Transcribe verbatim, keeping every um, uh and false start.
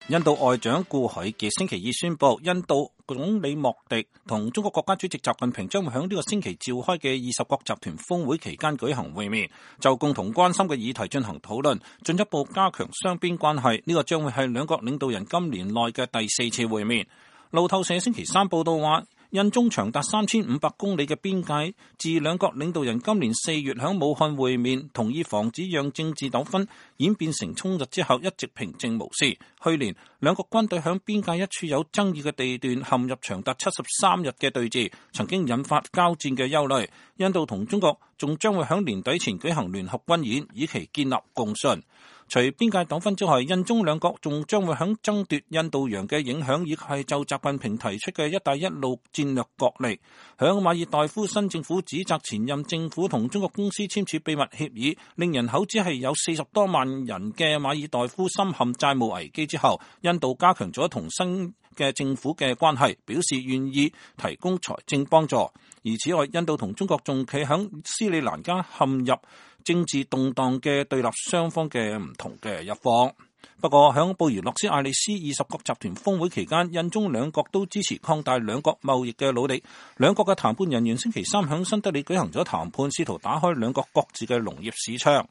印度外長顧海傑星期二宣布，印度總理莫迪同中國國家主席習近平將會喺呢個星期召開嘅二十國集團峰會期間舉行會面，就共同關心嘅議題進行討論，進一步加強雙邊關係。呢個將會係兩國領導人今年內嘅第四次會面。路透社星期三報道話，印中長達三千五百公里嘅邊界，自兩國領導人今年四月喺武漢會面，同意防止讓政治糾紛演變成衝突之後，一直平靜無事。去年兩國軍隊喺邊界一處有爭議嘅地段陷入長達七十三日嘅對峙，曾經引發交戰嘅憂慮。印度同中國仲將會喺年底前舉行聯合軍演，以期建立共識。除邊界糾紛之外，印中兩國仲將會喺爭奪印度洋嘅影響，以及係就習近平提出嘅一帶一路戰略角力。響馬爾代夫新政府指責前任政府同中國公司簽署秘密協議，令人口只係有四十多萬人嘅馬爾代夫深陷債務危機之後，印度加強咗同新嘅政府嘅關係，表示願意提供財政幫助。而此外，印度同中國仲企喺斯里蘭卡陷入政治動盪嘅對立雙方嘅唔同嘅一方。不過響布宜諾斯艾利斯二十國集團峰會期間，印中兩國都支持擴大兩國貿易嘅努力。兩國嘅談判人員星期三響新德里舉行咗談判，試圖打開兩國各自嘅農業市場。